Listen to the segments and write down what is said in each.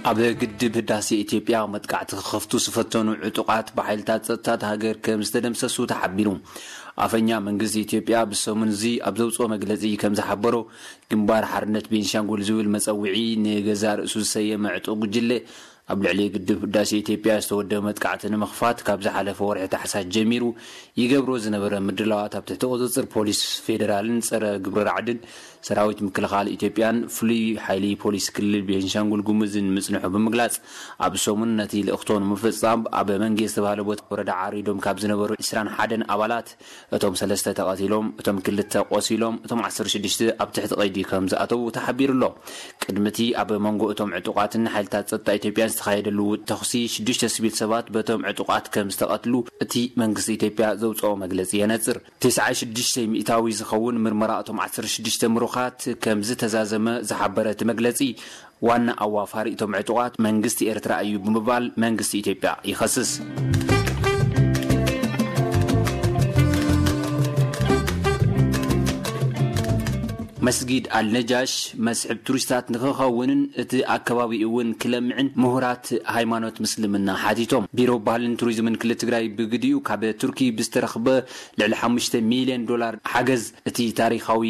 ኣብ ግድብ ህዳሴ ኢትዮጵያ መጥቃዕቲ ክኸፍቱ ዝፈተኑ ዕጡቓት ብሓይልታት ጸጥታ እታ ሃገር ከም ዝተደምሰሱ ተሓቢሩ። ኣፈኛ መንግስቲ ኢትዮጵያ ብሰሙን እዚ ኣብ ዘውጽኦ መግለጺ ከም ዝሓበሮ፣ ግንባር ሓርነት ቤንሻንጉል ዝብል መጸውዒ ንገዛእ ርእሱ ዝሰየመ ዕጡቕ ጉጅለ፣ ኣብ ልዕሊ ግድብ ህዳሴ ኢትዮጵያ ዝተወደበ መጥቃዕቲ ንምኽፋት ካብ ዝሓለፈ ወርሒ ታሕሳስ ጀሚሩ ይገብሮ ዝነበረ ምድላዋት ኣብ ትሕቲ ቁጽጽር ፖሊስ ፌደራልን ጸረ ግብረ ራዕድን ሰራዊት ምክልኻል ኢትዮጵያን ፍሉይ ሓይሊ ፖሊስ ክልል ቤንሻንጉል ጉሙዝን ምጽንሑ ብምግላጽ፣ ኣብ ሰሙን ነቲ ልእኽቶ ንምፍጻም ኣብ መንጌ ዝተባህለ ቦታ ወረዳ ዓሪዶም ካብ ዝነበሩ ዕስራን ሓደን ኣባላት፣ እቶም ሰለስተ ተቐቲሎም፣ እቶም ክልተ ቆሲሎም፣ እቶም ዓሰርተ ሽዱሽተ ኣብ ትሕቲ ቀይዲ ከም ዝኣተዉ ተሓቢሩ ኣሎ። ቅድሚ እቲ ኣብ መንጎ እቶም ዕጡቓትን ሓይልታት ጸጥታ ኢትዮጵያን ዝተኻየደ ልውውጥ ተኹሲ፣ ሽዱሽተ ሲቪል ሰባት በቶም ዕጡቓት ከም ዝተቐትሉ እቲ መንግስቲ ኢትዮጵያ ዘውጽኦ መግለጺ የነጽር። ተስዓን ሽዱሽተ ሚእታዊ ዝኸውን ምርመራ እቶም ዓሰርተ ሽዱሽተ ምሩኻት ከም ዝተዛዘመ ዝሓበረ እቲ መግለጺ፣ ዋና ኣዋፋሪ እቶም ዕጡቓት መንግስቲ ኤርትራ እዩ ብምባል መንግስቲ ኢትዮጵያ ይኸስስ። መስጊድ ኣልነጃሽ መስሕብ ቱሪስታት ንክኸውንን እቲ ኣከባቢ እውን ክለምዕን ምሁራት ሃይማኖት ምስልምና ሓቲቶም። ቢሮ ባህልን ቱሪዝምን ክልል ትግራይ ብግዲኡ ካብ ቱርኪ ብዝተረኽበ ልዕሊ ሓሙሽተ ሚልዮን ዶላር ሓገዝ እቲ ታሪኻዊ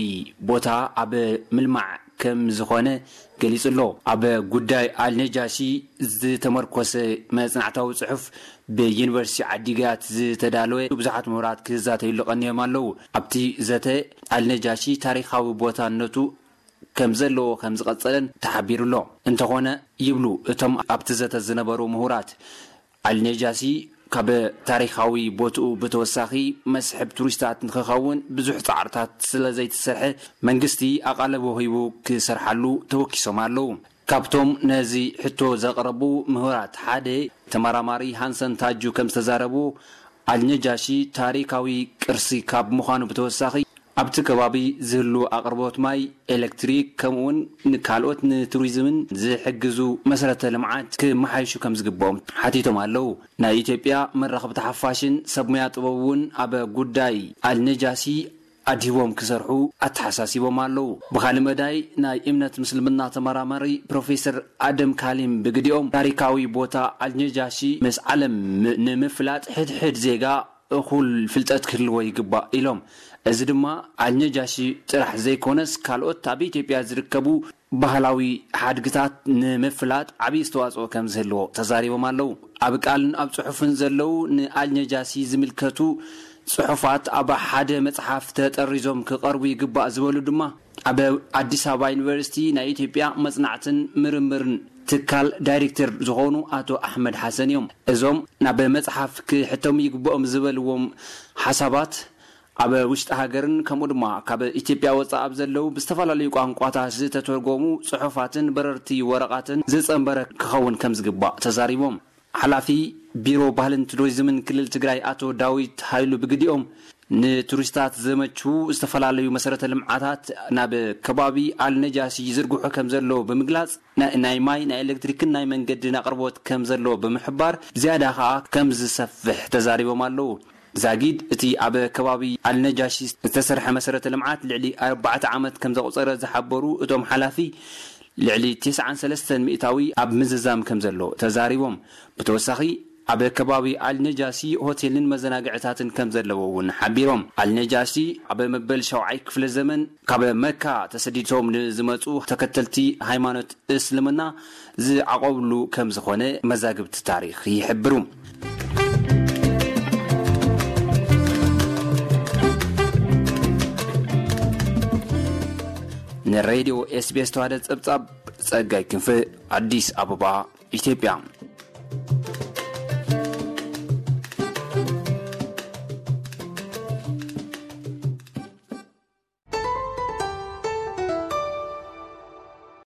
ቦታ ኣብ ምልማዕ ከም ዝኾነ ገሊጹ ኣሎ። ኣብ ጉዳይ ኣልነጃሺ ዝተመርኮሰ መጽናዕታዊ ጽሑፍ ብዩኒቨርሲቲ ዓዲግራት ዝተዳለወ ብዙሓት ምሁራት ክዛተዩሉ ቀንዮም ኣለዉ። ኣብቲ ዘተ ኣልነጃሺ ታሪኻዊ ቦታነቱ ከም ዘለዎ ከም ዝቐጸለን ተሓቢሩ ኣሎ። እንተኾነ ይብሉ እቶም ኣብቲ ዘተ ዝነበሩ ምሁራት፣ ኣልነጃሺ ካብ ታሪኻዊ ቦትኡ ብተወሳኺ መስሕብ ቱሪስታት ንክኸውን ብዙሕ ጻዕርታት ስለ ዘይተሰርሐ መንግስቲ ኣቓልቦ ሂቡ ክሰርሓሉ ተወኪሶም ኣለዉ። ካብቶም ነዚ ሕቶ ዘቕረቡ ምሁራት ሓደ ተመራማሪ ሃንሰን ታጁ ከም ዝተዛረቡ፣ ኣልነጃሺ ታሪኻዊ ቅርሲ ካብ ምዃኑ ብተወሳኺ ኣብቲ ከባቢ ዝህሉ ኣቕርቦት ማይ፣ ኤሌክትሪክ ከምኡውን ንካልኦት ንቱሪዝምን ዝሕግዙ መሰረተ ልምዓት ክመሓይሹ ከም ዝግብኦም ሓቲቶም ኣለዉ። ናይ ኢትዮጵያ መራኸብቲ ሓፋሽን ሰብ ሞያ ጥበብ እውን ኣብ ጉዳይ ኣልነጃሺ ኣድሂቦም ክሰርሑ ኣተሓሳሲቦም ኣለዉ። ብኻልእ መዳይ ናይ እምነት ምስልምና ተመራማሪ ፕሮፌሰር ኣደም ካሊም ብግዲኦም ታሪካዊ ቦታ ኣልነጃሺ ምስ ዓለም ም-፣ ንምፍላጥ ሕድሕድ ዜጋ እኹል ፍልጠት ክህልዎ ይግባእ ኢሎም። እዚ ድማ ኣልነጃሺ ጥራሕ ዘይኮነስ ካልኦት ኣብ ኢትዮጵያ ዝርከቡ ባህላዊ ሓድግታት ንምፍላጥ ዓብዪ ኣስተዋፅኦ ከም ዝህልዎ ተዛሪቦም ኣለዉ። ኣብ ቃልን ኣብ ጽሑፍን ዘለዉ ንኣልነጃሺ ዝምልከቱ ጽሑፋት ኣብ ሓደ መጽሓፍ ተጠሪዞም ክቐርቡ ይግባእ ዝበሉ ድማ ኣብ ኣዲስ ኣበባ ዩኒቨርሲቲ ናይ ኢትዮጵያ መጽናዕትን ምርምርን ትካል ዳይሬክተር ዝኾኑ ኣቶ ኣሕመድ ሓሰን እዮም። እዞም ናብ መጽሓፍ ክሕተሙ ይግብኦም ዝበልዎም ሓሳባት ኣብ ውሽጢ ሃገርን ከምኡ ድማ ካብ ኢትዮጵያ ወጻኢ ኣብ ዘለዉ ብዝተፈላለዩ ቋንቋታት ዝተተርጎሙ ጽሑፋትን በረርቲ ወረቓትን ዝጸንበረ ክኸውን ከም ዝግባእ ተዛሪቦም። ሓላፊ ቢሮ ባህልን ቱሪዝምን ክልል ትግራይ ኣቶ ዳዊት ሃይሉ ብግዲኦም፣ ንቱሪስታት ዘመቹ ዝተፈላለዩ መሰረተ ልምዓታት ናብ ከባቢ ኣልነጃሺ ይዝርግሑ ከም ዘለዉ ብምግላጽ፣ ና-፣ ናይ ማይ፣ ናይ ኤሌክትሪክን ናይ መንገድን ኣቕርቦት ከም ዘሎ ብምሕባር፣ ዝያዳ ከኣ ከም ዝሰፍሕ ተዛሪቦም ኣለዉ። ዛጊድ እቲ ኣብ ከባቢ ኣልነጃሺ ዝተሰርሐ መሰረተ ልምዓት ልዕሊ ኣርባዕተ ዓመት ከም ዘቑጸረ ዝሓበሩ እቶም ሓላፊ፣ ልዕሊ ተስዓን ሰለስተን ሚእታዊ ኣብ ምዝዛም ከም ዘሎ ተዛሪቦም። ብተወሳኺ፣ ኣብ ከባቢ ኣልነጃሺ ሆቴልን መዘናግዕታትን ከም ዘለዎ እውን ሓቢሮም። ኣልነጃሺ ኣብ መበል ሻውዓይ ክፍለ ዘመን ካብ መካ ተሰዲዶም ንዝመጹ ተከተልቲ ሃይማኖት እስልምና ዝዓቆብሉ ከም ዝኾነ መዛግብቲ ታሪኽ ይሕብሩ። ንሬድዮ ኤስቢኤስ ተዋህደ ጸብጻብ ጸጋይ ክንፈ፣ ኣዲስ ኣበባ፣ ኢትዮጵያ።